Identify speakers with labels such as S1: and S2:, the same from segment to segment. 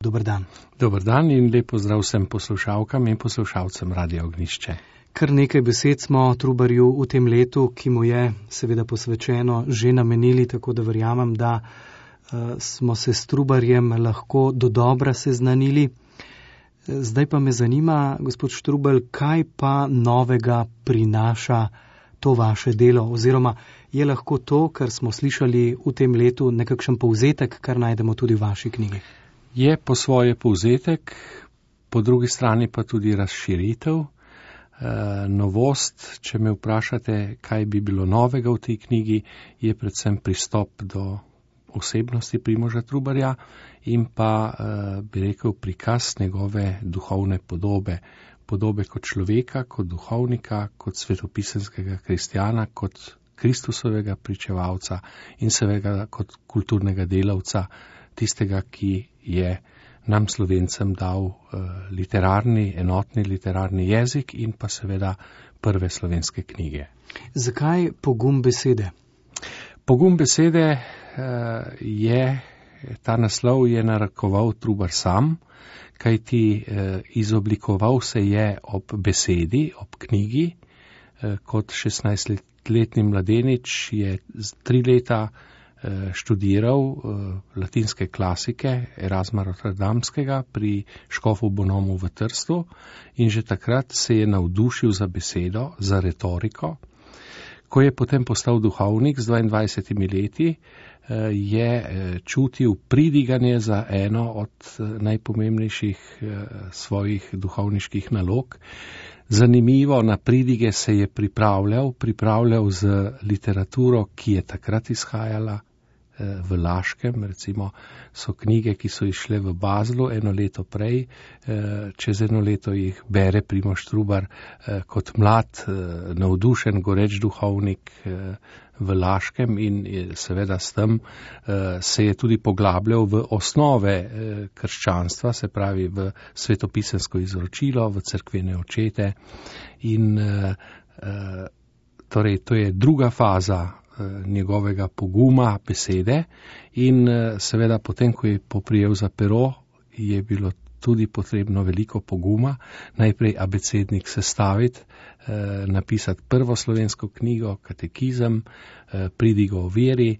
S1: Dober dan.
S2: Dober dan in lep pozdrav vsem poslušalkam in poslušalcem Radia Ognjišče.
S1: Kar nekaj besed smo Trubarju v tem letu, ki mu je seveda posvečeno, že namenili, tako da verjamem, da smo se s Trubarjem lahko dodobra seznanili. Zdaj pa me zanima, gospod Štrubar, kaj pa novega prinaša to vaše delo, oziroma je lahko to, kar smo slišali v tem letu, nekakšen povzetek, kar najdemo tudi v vaši knjigi?
S2: Je po svoje povzetek, po drugi strani pa tudi razširitev. Novost, če me vprašate, kaj bi bilo novega v tej knjigi, je predvsem pristop do osebnosti Primoža Trubarja in pa, bi rekel, prikaz njegove duhovne podobe. Podobe kot človeka, kot duhovnika, kot svetopisemskega kristjana, kot Kristusovega pričevalca in seveda kot kulturnega delavca, tistega, ki je nam Slovencem dal enotni literarni jezik in pa seveda prve slovenske knjige.
S1: Zakaj pogum besede?
S2: Pogum besede ta naslov je narekoval Trubar sam, kajti izoblikoval se je ob besedi, ob knjigi. Kot 16-letni mladenič je 3 leta študiral latinske klasike Erasma Rotterdamskega pri škofu Bonomu v Trstu in že takrat se je navdušil za besedo, za retoriko. Ko je potem postal duhovnik z 22 leti, je čutil pridiganje za eno od najpomembnejših svojih duhovniških nalog. Zanimivo, na pridige se je pripravljal z literaturo, ki je takrat izhajala v Laškem, recimo so knjige, ki so išle v Baslu 1 leto prej, čez 1 leto jih bere Primož Trubar kot mlad, navdušen, goreč duhovnik v Laškem in seveda s tem se je tudi poglabljal v osnove krščanstva, se pravi v svetopisemsko izročilo, v cerkvene očete in torej to je druga faza njegovega poguma besede in seveda potem, ko je poprijel za pero, je bilo tudi potrebno veliko poguma, najprej abecednik sestaviti, napisati prvo slovensko knjigo, katekizem, pridigo o veri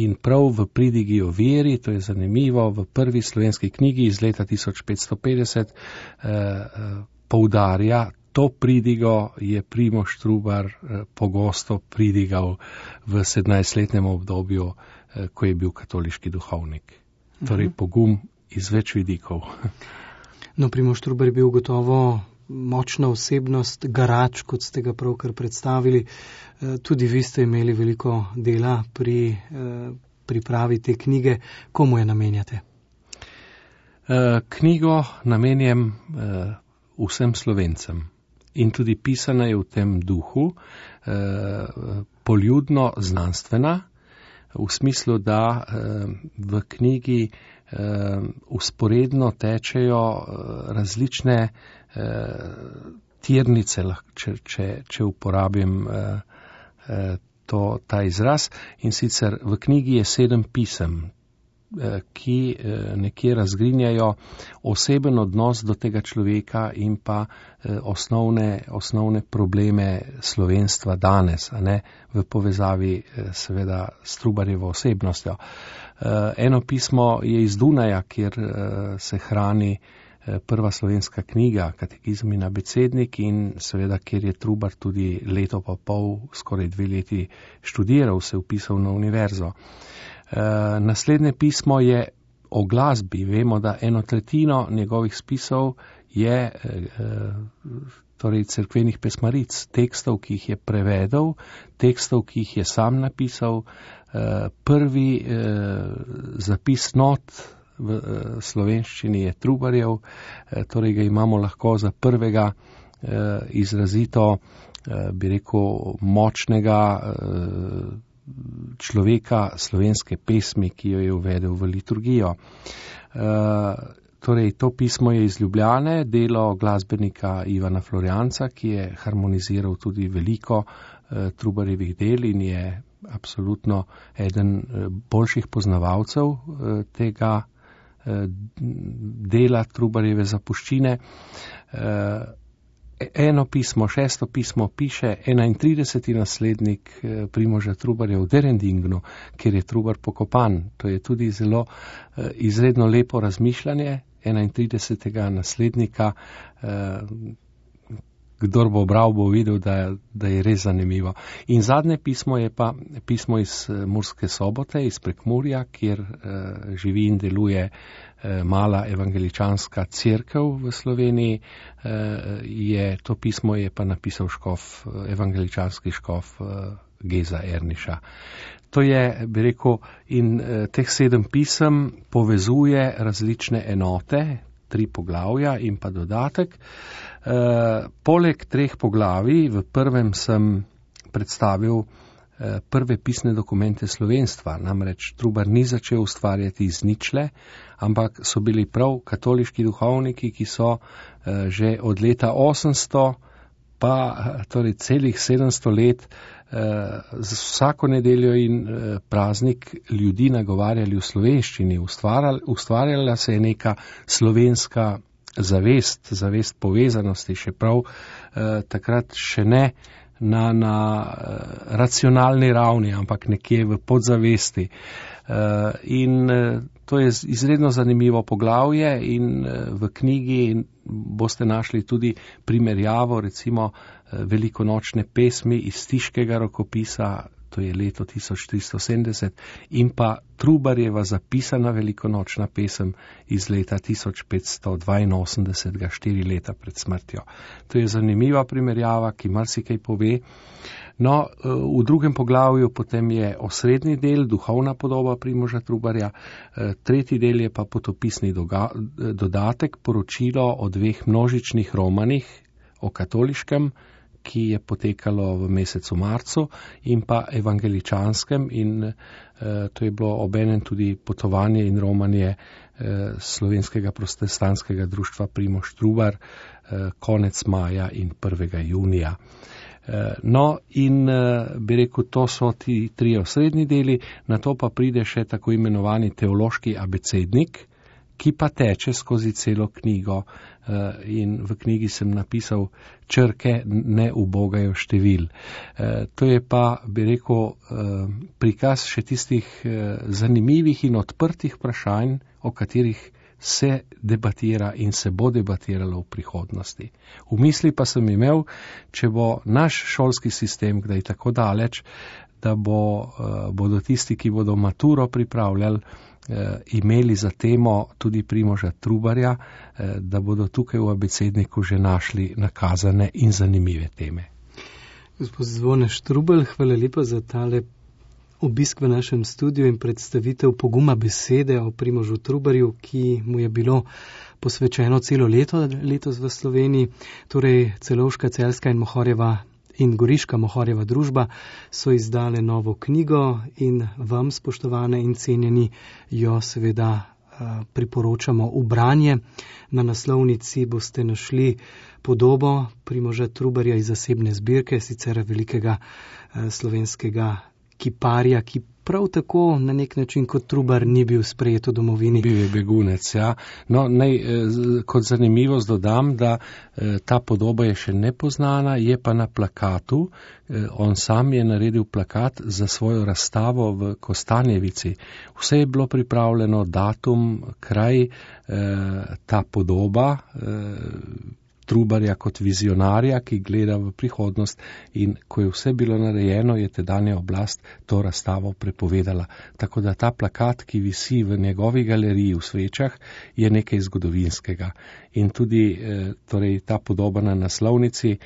S2: in prav v pridigi o veri, to je zanimivo, v prvi slovenski knjigi iz leta 1550 poudarja, to pridigo je Primož Trubar pogosto pridigal v 17-letnem obdobju, ko je bil katoliški duhovnik. Torej pogum iz več vidikov.
S1: No, Primož Trubar je bil gotovo močna osebnost, garač, kot ste ga pravkar predstavili. Tudi vi ste imeli veliko dela pri pripravi te knjige. Komu je namenjate?
S2: Knjigo namenjam vsem Slovencem. In tudi pisana je v tem duhu, poljudno znanstvena, v smislu, da v knjigi vzporedno tečejo različne tirnice, če uporabim ta izraz, in sicer v knjigi je 7 pisem, ki nekje razgrinjajo oseben odnos do tega človeka in pa osnovne probleme slovenstva danes, a ne, v povezavi seveda s Trubarjevo osebnostjo. Eno pismo je iz Dunaja, kjer se hrani prva slovenska knjiga, katekizem in abecednik in seveda, kjer je Trubar tudi leto pa pol, skoraj 2 leti študiral, se vpisal na univerzo. Naslednje pismo je o glasbi. Vemo, da 1/3 njegovih spisov je torej cerkvenih pesmaric, tekstov, ki jih je prevedel, tekstov, ki jih je sam napisal. Prvi zapis not v slovenščini je Trubarjev, torej ga imamo lahko za prvega izrazito, bi rekel, močnega človeka slovenske pesmi, ki jo je uvedel v liturgijo. Torej, to pismo je iz Ljubljane, delo glasbenika Ivana Florjanca, ki je harmoniziral tudi veliko Trubarjevih del in je absolutno eden boljših poznavalcev tega dela Trubarjeve zapuščine. Eno pismo, 6. pismo piše 31. naslednik Primoža Trubarja v Derendingnu, kjer je Trubar pokopan. To je tudi zelo izredno lepo razmišljanje 31. naslednika. Kdor bo bral, bo videl, da je res zanimivo. In zadnje pismo je pa pismo iz Murske Sobote, iz Prekmurja, kjer živi in deluje mala evangeličanska cerkev v Sloveniji. To pismo je pa napisal evangeličanski škof Geza Erniša. To je, bi rekel, in teh 7 pisem povezuje različne enote, 3 poglavja in pa dodatek. Poleg 3 poglavij, v prvem sem predstavil prve pisne dokumente slovenstva, namreč Trubar ni začel ustvarjati iz ničle, ampak so bili prav katoliški duhovniki, ki so že od leta 800 pa torej celih 700 let z vsako nedeljo in praznik ljudi nagovarjali v slovenščini. Ustvarjala se je neka slovenska zavest povezanosti, še prav takrat še ne na racionalni ravni, ampak nekje v podzavesti. In to je izredno zanimivo poglavje in v knjigi boste našli tudi primerjavo, recimo velikonočne pesmi iz Stiškega rokopisa, to je leto 1370, in pa Trubarjeva zapisana velikonočna pesem iz leta 1582, 4 leta pred smrtjo. To je zanimiva primerjava, ki marsikaj pove. No, v drugem poglavju potem je osrednji del, duhovna podoba Primoža Trubarja, 3. del je pa potopisni dodatek, poročilo o 2 množičnih romanih, o katoliškem, ki je potekalo v mesecu marcu, in pa evangeličanskem, in to je bilo obenem tudi potovanje in romanje slovenskega protestantskega društva Primož Trubar konec maja in 1. junija. No, in bi rekel, to so ti 3 osrednji deli, na to pa pride še tako imenovani teološki abecednik, ki pa teče skozi celo knjigo, in v knjigi sem napisal črke ne ubogajo števil. To je pa, bi rekel, prikaz še tistih zanimivih in odprtih vprašanj, o katerih se debatira in se bo debatiralo v prihodnosti. V misli pa sem imel, če bo naš šolski sistem kdaj tako daleč, da bodo tisti, ki bodo maturo pripravljali, imeli za temo tudi Primoža Trubarja, da bodo tukaj v abecedniku že našli nakazane in zanimive teme.
S1: Gospod Zvone Štrukelj, hvala lepa za tale obisk v našem studiu in predstavitev poguma besede o Primožu Trubarju, ki mu je bilo posvečeno celo letos v Sloveniji. Torej Celovška, Celjska in Mohorjeva in Goriška Mohorjeva družba so izdale novo knjigo in vam, spoštovane in cenjeni, jo seveda priporočamo v branje. Na naslovnici boste našli podobo Primoža Trubarja iz zasebne zbirke, sicer velikega slovenskega kiparja, ki prav tako na nek način kot Trubar ni bil sprejet v domovini.
S2: Bil je begunec, ja. No, kot zanimivost dodam, da ta podoba je še nepoznana, je pa na plakatu. On sam je naredil plakat za svojo razstavo v Kostanjevici. Vse je bilo pripravljeno, datum, kraj, ta podoba Trubarja kot vizionarja, ki gleda v prihodnost, in ko je vse bilo narejeno, je tedanja oblast to razstavo prepovedala. Tako da ta plakat, ki visi v njegovi galeriji v Svečah, je nekaj zgodovinskega. In tudi torej, ta podoba na naslovnici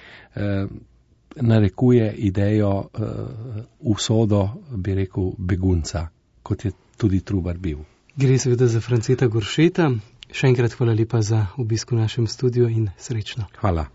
S2: narekuje idejo usodo, bi rekel, begunca, kot je tudi Trubar bil.
S1: Gre seveda za Franceta Goršeta. Še enkrat hvala lepa za obisk v našem studiu in srečno.
S2: Hvala.